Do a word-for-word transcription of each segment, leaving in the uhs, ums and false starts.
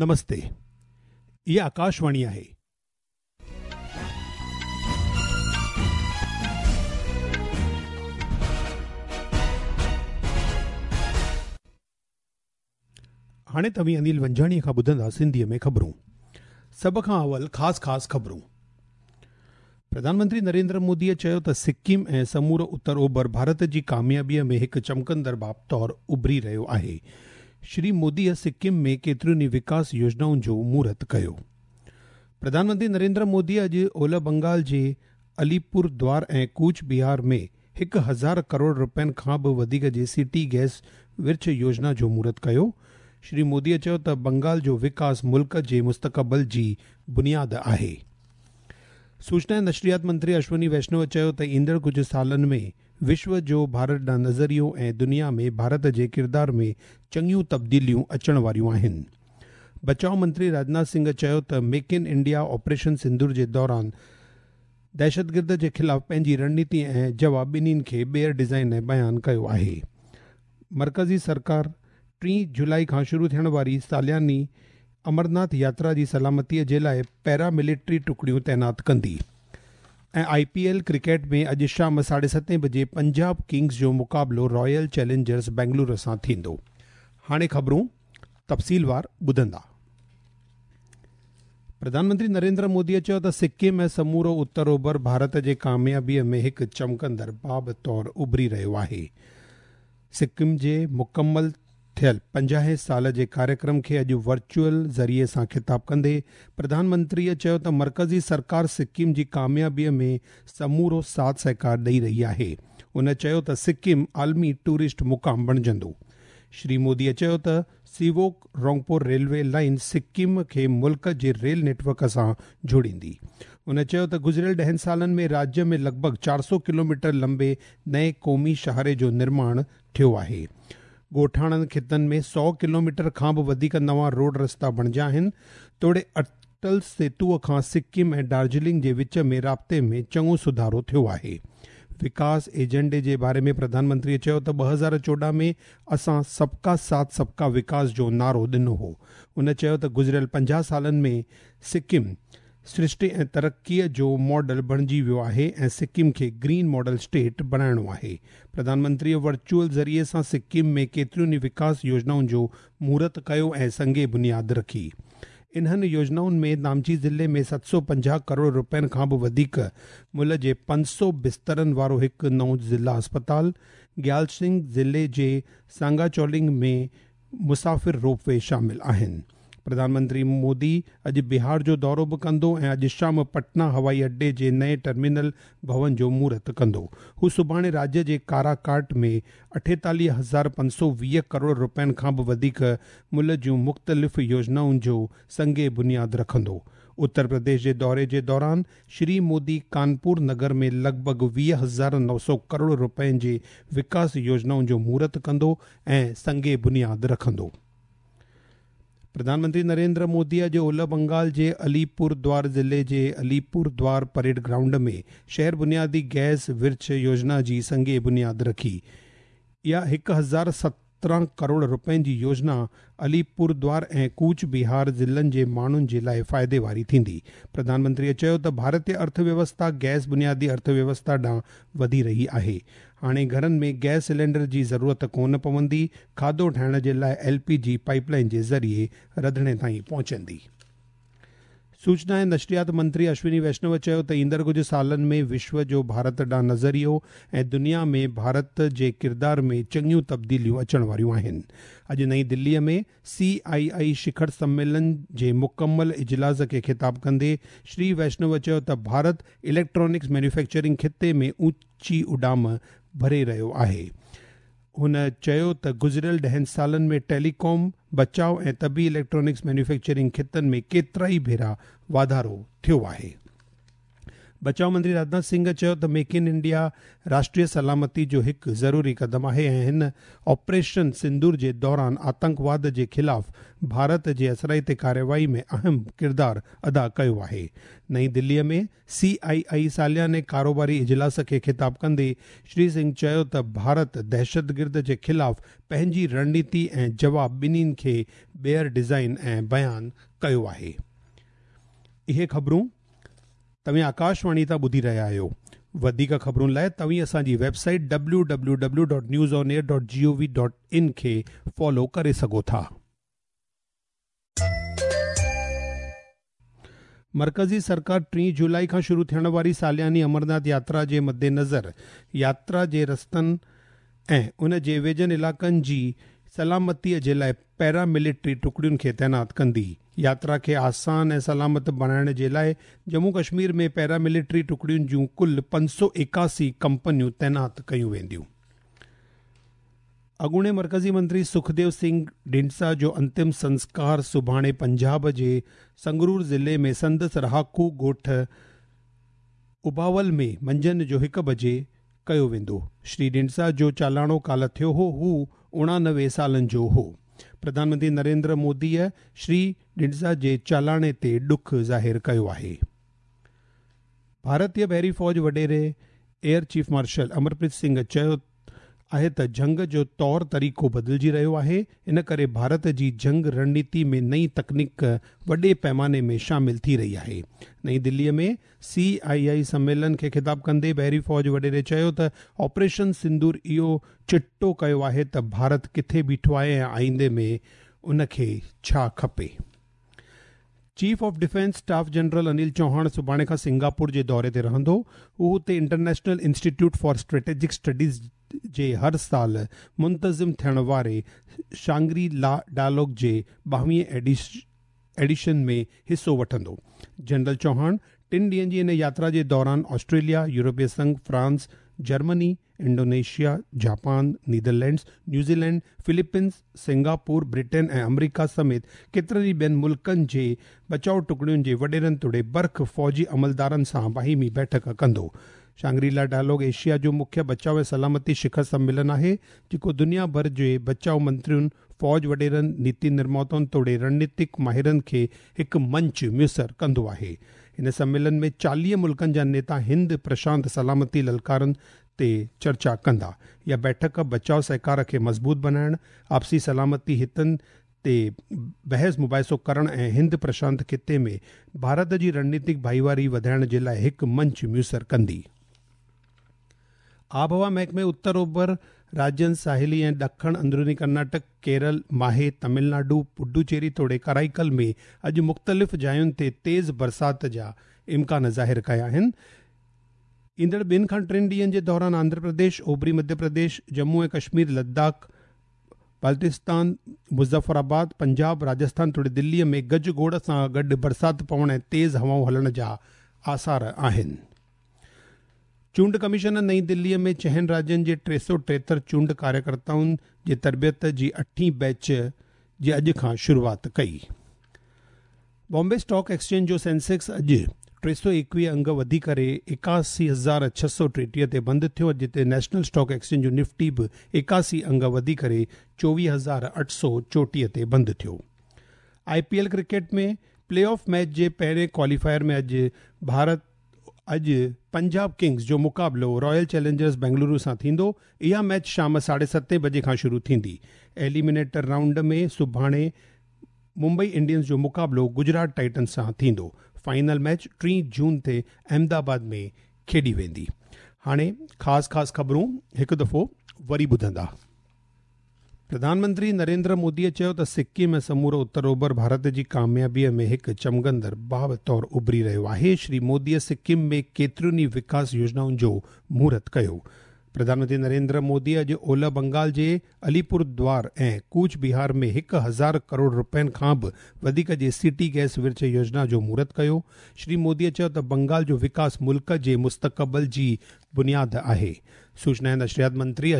نمستي، اها آڪاشواڻي آهي. هاڻي توهين انيل ونجاڻيءَ کان ٻڌندا سنڌيءَ ۾ خبرون. سڀ کان اول خاص خاص خبرون. پرڌان منتري نريندر موديءَ چيو ته سڪم ۽ سمورو اتر اوڀر ڀارت جي ڪاميابيءَ ۾ هڪ چمڪندڙ باب طور اڀري رهيو آهي. شري موديءَ سڪم ۾ ڪيترين ئي وڪاس يوجنائن جو مهورت ڪيو. پرڌان منتري نريندر موديءَ اڄ اولهه بنگال جي اليپور دوار ۽ ڪوچ بهار ۾ هڪ هزار ڪروڙ رپين کان به وڌيڪ جي سٽي گئس ورڇ يوجنا جو مهورت ڪيو. شري موديءَ چيو ته بنگال جو وڪاس ملڪ جي مستقبل جي بنياد آهي. سوچنا ۽ نشريات منتري اشوني ويشنو چيو ته ايندڙ ڪجهه سالن ۾ وشو جو ڀارت ڏانهن نظريو ۽ دنيا ۾ ڀارت جي ڪردار ۾ چڱيون تبديليون اچڻ واريون آهن. بچاءُ منتري راجناٿ سنگهه چيو ته make in India operation Sindoor جي دوران دهشتگرد جي خلاف پنهنجي رڻنيتي ۽ جواب ٻنهين کي ٻيهر ڊزائن ۽ بيان ڪيو آهي. مرڪزي سرڪار ٽي جولاءِ کان شروع ٿيڻ واري سالياني امرناٿ ياترا جي سلامتيءَ جي لاءِ پيراملٽري ٽڪڙيون تعينات ڪندي. ۽ I P L cricket ۾ اڄ شام ساڍي ستين بجي پنجاب ڪنگز جو مقابلو رائل چئلينجرس بينگلورو سان ٿيندو. هاڻي خبرون تفصيلوار ٻڌندا. پرڌان منتري نريندر موديءَ چيو ته سڪم ۽ سمورو اتر اوڀر ڀارت جي ڪاميابيءَ ۾ هڪ چمڪندڙ باب طور اڀري رهيو آهي. سڪم جي مڪمل ٿيل پنجاهه سال جي ڪاريڪرم کي اڄ ورچوئل ذريعي سان خطاب ڪندي پرڌان منتريءَ چيو ته مرڪزي سرڪار سڪم جي ڪاميابيءَ ۾ سمورو ساٿ سهڪار ڏيئي رهي آهي. هن چيو ته سڪم عالمي ٽوئرسٽ مقام بڻجندو. شري موديءَ چيو ته سيووڪ رونگپور ريلوي لائن سڪم کي ملڪ جي ريل نيٽ ورڪ سان جوڙيندي. هن چيو ته گذريل ڏهن سالن ۾ راجيه ۾ لڳ ڀڳ چار سؤ ڪلو ميٽر لمبي نئين قومي شاهراهه جو نرماڻ ٿيو آهي. ڳوٺاڻن خطن ۾ سؤ ڪلو ميٽر کان به وڌيڪ نوان روڊ رستا بڻجيا آهن. توڙي اٽل سيتوءَ کان سڪم ۽ دارجلنگ جي وچ ۾ رابطي ۾ چڱو سڌارو ٿيو آهي. وڪاس ايجنڊي جي باري ۾ پرڌان منتريءَ چيو ته ٻه هزار چوڏهن ۾ اسان سبڪا ساٿ سبڪا وڪاس جو نعرو ڏنو هو. هن چيو ته گذريل پنجاهه سالن ۾ سڪم سرشٽي ۽ ترقيءَ جو ماڊل بڻجي ويو آهي ۽ سڪم کي گرين ماڊل اسٽيٽ بڻائڻو آهي. پرڌان منتريءَ ورچوئل ذريعي سان سڪم ۾ ڪيترين ئي وڪاس يوجنائن جو مهورت ڪيو ۽ سنگ بنياد رکي. انهن يوجنائن ۾ نامچي ضلعي ۾ ست سؤ پنجاهه ڪروڙ رپين کان به وڌيڪ ملهه جي پنج سؤ بسترن وارو هڪ نئون ضلع اسپتال، گيالسنگ ضلعي جي سانگاچولنگ ۾ مسافر روپ وي شامل آهن. پرڌان منتري مودي اڄ بهار جو دورو به ڪندو ۽ اڄ شام پٽنا هوائي اڏي جي نئين ٽرمينل ڀون جو مهورت ڪندو. هو سڀاڻي راجيه جي ڪاراڪاٽ ۾ اٺيتاليهه هزار پنج سؤ ويهه ڪروڙ رپين کان به وڌيڪ ملهه جون مختلف يوجنائن جو سنگ بنياد رکندو. اتر پرديش جي دوري جي دوران شري مودي ڪانپور نگر ۾ لڳ ڀڳ ويهه هزار نو سؤ ڪروڙ رپين جي وڪاس يوجنائن جو مهورت ڪندو ۽ سنگ بنياد رکندو. پرڌان منتري نريندر موديءَ اڄ اولهه بنگال جي اليپور دوار ضلعي جي اليپور دوار پريڊ گرائونڊ ۾ شهر بنيادي گئس ورڇ يوجنا جي سنگ بنياد رکي. اها هڪ هزار سترهن ڪروڙ رپين جي يوجنا اليپور دوار ۽ ڪوچ بهار ضلعن جي ماڻهن جي لاءِ فائدي واري ٿيندي. پرڌان منتريءَ چيو ته ڀارتيه ارٿويوسٿا گئس بنيادي ارٿويوسٿا ڏانهن وڌي رهي آهي. هاڻي گهرن ۾ گئس سلينڊر جي ضرورت ڪونه پوندي. کاڌو ٺاهڻ جي لاءِ L P G pipe line جي ذريعي رڌڻي تائين پهچندي. سوچنا ۽ نشريات منتري اشوني ويشنو چيو ته ايندڙ ڪجهه سالن ۾ وشو جو ڀارت ڏانهن نظريو ۽ دنيا ۾ ڀارت جي ڪردار ۾ چڱيون تبديليون اچڻ واريون آهن. اڄ نئين دليءَ ۾ سي آئي آئي شکر سميلن جي مڪمل اجلاس کي خطاب ڪندي شري ويشنو چيو ته ڀارت اليڪٽرانڪس مينوفيڪچرنگ خطي ۾ اوچي اڏام ڀري رهيو آهي. هن چيو ته گذريل ڏهن سالن ۾ ٽيليڪام، بچاءُ ۽ طبي اليڪٽرانڪس مينوفيڪچرنگ خطن ۾ ڪيترا ئي ڀيرا واڌارو ٿيو آهي. بچاء منتري راجناٿ سنگهه چيو ته ميڪ ان انڊيا راشٽريه سلامتي جو هڪ ضروري قدم آهي ۽ هن آپريشن سندور جي دوران آتنڪواد جي خلاف ڀارت جي اثرائتي ڪارروائي ۾ اهم ڪردار ادا ڪيو آهي. نئين دليءَ ۾ سي آئي آئي سالياني ڪاروباري اجلاس کي خطاب ڪندي شري سنگهه چيو ته ڀارت دهشتگرد جي خلاف پنهنجي رڻنيتي ۽ جواب ٻنهين کي ٻيهر ڊزائين ۽ بيان ڪيو آهي. اهي خبرون توهين آڪاشواڻي تان ٻڌي رهيا آهيو. وڌيڪ خبرن لاءِ توهين اسان جي website W W W dot news on air dot G O V dot in کي فالو ڪري سگهو ٿا. مرڪزي سرڪار ٽي جولاءِ کان شروع ٿيڻ واري سالياني امرناٿ ياترا جي مدنظر ياترا جي رستن ۽ ان جي ويجهن علائقن جي سلامتيءَ جي لاءِ پيراملٽري ٽڪڙين کي تعينات ڪندي. ياترا کي آسان ۽ سلامت بڻائڻ جي لاءِ ڄمون ڪشمير ۾ پيراملٽري ٽڪڙين جون ڪل پنج سؤ ايڪاسي ڪمپنيون تعينات ڪيون وينديون. اڳوڻي مرڪزي منتري سکديو سنگهه ڍنڊسا جو انتم سنسڪار سڀاڻي پنجاب جي سنگرور ضلعي ۾ سندس رهاڪو ڳوٺ اباول ۾ منجهند جو هڪ بجي ڪيو ويندو. شري ڍنڊسا جو چالاڻو ڪالهه ٿيو هو. هو اڻانوي سالن جو هو. پرڌان منتري نريندر موديءَ شري ڍنڊسا جي چالاڻي تي ڏک ظاهر ڪيو آهي. ڀارتيه بحري فوج وڏيري air chief marshal Amarpreet Singh چيو آهي ته جنگ جو طور طريقو بدلجي رهيو آهي، ان ڪري ڀارت جي جنگ رڻنيتي ۾ نئين تڪنيڪ وڏي پيماني ۾ شامل ٿي رهي آهي. نئين دليءَ ۾ سي آئي آئي سميلن کي خطاب ڪندي بحري فوج وڏيري چيو ته آپريشن سندور اهو چٽو ڪيو آهي ته ڀارت ڪٿي بيٺو آهي ۽ آئيندي ۾ ان کي ڇا کپي. Chief of defence staff general Anil Chauhan سڀاڻي کان سنگاپور جي دوري تي رهندو. هو هتي international institute for strategic studies جي هر سال منتظم ٿيڻ واري شانگري لا ڊائلاگ جي ٻاويهين ايڊيشن ۾ حصو وٺندو. جنرل چوهاڻ ٽن ڏينهن جي ان ياترا جي دوران آسٽريليا، يورپي Singh, France, Germany, Indonesia, Japan, Netherlands, New Zealand, Philippines, Singapore, Britain ۽ آمريڪا سميت ڪيترن ئي ٻين ملڪن جي بچاءُ ٽڪڙين جي وڏيرن توڙي برک فوجي عملدارن سان باهمي بيٺڪ ڪندو. شانگريلا ڊائلاگ ايشيا جو مکيه بچاءُ ۽ سلامتي شکر سميلن آهي، جيڪو دنيا ڀر جي بچاءُ منترين، فوج وڏيرن، نيتي نرماتائن توڙي رڻنيتڪ ماهرن کي هڪ منچ ميسر ڪندو آهي. هن سميلن ۾ چاليهه ملڪن جا نيتا هند پرشانت سلامتي للڪارن تي چرچا ڪندا. اها بيٺڪ بچاءُ سهڪار کي مضبوط بڻائڻ، آپسي سلامتي هتن تي بحث مباحثو ڪرڻ ۽ هند پرشانت خطي ۾ ڀارت جي رڻنيتڪ ڀائيواري وڌائڻ جي لاءِ هڪ منچ ميسر ڪندي. آبهوا محڪمي اتر اوڀر راجين، ساحلي ۽ ڏکڻ اندروني ڪرناٽڪ، ڪيرل، ماهي، تامل ناڊو، پڊوچيري توڙي ڪرائيڪل ۾ اڄ مختلف جاين تي تيز برسات جا امڪان ظاهر ڪيا آهن. ايندڙ ٻن کان ٽن ڏينهن جي دوران آنڌرا پرديش، اوڀري مڌيه پرديش، ڄمون ۽ ڪشمير، لداخ، بالتستان، مظفرآباد، پنجاب، راجسٿان توڙي دليءَ ۾ گجگوڙ سان گڏ برسات پوڻ ۽ تيز هوائون هلڻ جا آثار آهن. چونڊ ڪميشن نئين دليءَ ۾ ڇهن راجين جي ٽي سؤ ٽيهتر چونڊ ڪاريڪرتائن جي تربيت جي اٺين بيچ جي اڄ کان شروعات ڪئي. بامبي اسٽاڪ ايڪسچينج جو سينسيڪس اڄ ٽي سؤ ايڪويهه انگ وڌي ڪري ايڪاسي هزار ڇهه سؤ ٽيٽيهه تي بند ٿيو، جتي نيشنل اسٽاڪ ايڪسچينج جو نفٽي به ايڪاسي انگ وڌي ڪري چوويهه هزار اٺ سؤ چوٽيهه تي بند ٿيو. I P L cricket ۾ play off match جي پهرين ڪواليفائر ۾ اڄ ڀارت اڄ پنجاب ڪنگز جو مقابلو رائل چئلينجرز بينگلورو سان ٿيندو. اها ميچ شام ساڍي ستين بجي کان شروع ٿيندي. ايليمينيٽر رائونڊ ۾ سڀاڻي ممبئي انڊينز جو مقابلو گجرات ٽائٽنز سان ٿيندو. فائنل ميچ ٽي جون تي احمدآباد ۾ کيڏي ويندي. هاڻي خاص خاص خبرون هڪ دفعو وري ٻڌندا. پرڌان منتري نريندر موديءَ چيو ته سڪم ۽ سمورو اتر اوڀر ڀارت جي ڪاميابيءَ ۾ هڪ چمڪندڙ باب طور اڀري رهيو آهي. شري موديءَ سڪم ۾ ڪيترين ئي وڪاس يوجنائن جو مهورت ڪيو. پرڌان منتري نريندر مودي اڄ اولهه بنگال جي اليپور دوار ۽ ڪوچ بهار ۾ هڪ هزار ڪروڙ رپين کان به وڌيڪ جي سٽي گئس ورڇ يوجنا جو مهورت ڪيو. شري موديءَ چيو ته بنگال جو وڪاس ملڪ جي مستقبل جي بنياد آهي. سوچنا ۽ نشريات منتري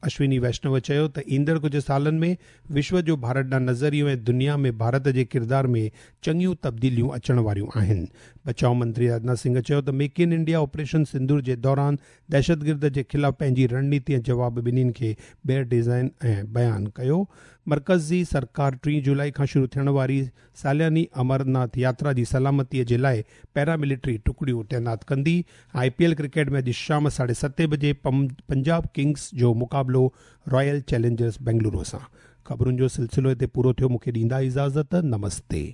اشوني ويشنو چيو ته ايندڙ ڪجهه سالن ۾ وشو جو ڀارت ڏانهن نظريو ۽ دنيا ۾ ڀارت جي ڪردار ۾ چڱيون تبديليون اچڻ واريون آهن. بچاءُ منتري راجناٿ سنگهه چيو ته make in India operation Sindoor جي دوران دهشتگرد جي خلاف پنهنجي رڻنيتي ۽ جواب ٻنهين کي ٻيهر ڊيزائن ۽ بيان ڪيو. مرڪزي سرڪار ٽي جولاءِ کان شروع ٿيڻ واري سالياني امرناٿ ياترا جي سلامتيءَ جي لاءِ پيراملٽري ٽڪڙيون تعينات ڪندي. I P L cricket ۾ اڄ شام ساڍي ستين بجي پنجاب ڪنگس جو مقابلو رائل چئلينجرس بينگلورو سان. خبرن جو سلسلو هتي پورو ٿيو. مون کي ڏيندا اجازت. نمستي.